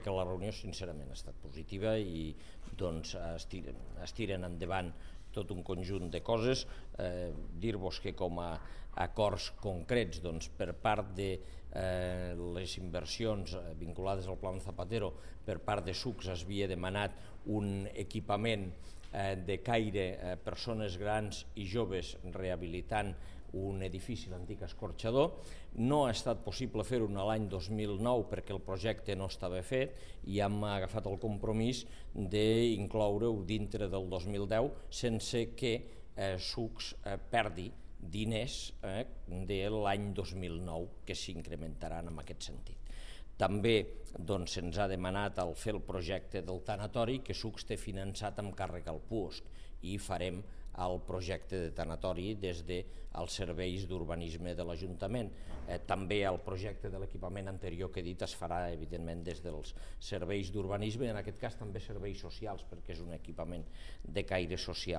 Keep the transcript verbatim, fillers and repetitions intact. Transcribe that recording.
Que la reunió sincerament ha estat positiva i doncs, es, tiren, es tiren endavant tot un conjunt de coses. Eh, Dir-vos que com a acords concrets doncs, per part de eh, les inversions vinculades al Pla Zapatero, per part de Sucs es havia demanat un equipament eh, de caire eh, persones grans i joves rehabilitant un edifici, l'antic escorxador. No ha estat possible fer-ho l'any dos mil nou perquè el projecte no estava fet i hem agafat el compromís d'incloure-ho dintre del dos mil deu sense que eh, Sucs eh, perdi diners eh, de l'any dos mil nou que s'incrementaran en aquest sentit. També doncs, se'ns ha demanat el fer el projecte del tanatori que Sucs té finançat amb càrrec al puosc i farem el projecte de tanatori des dels serveis d'urbanisme de l'Ajuntament. Eh, també el projecte de l'equipament anterior que he dit es farà evidentment des dels serveis d'urbanisme, en aquest cas també serveis socials perquè és un equipament de caire social.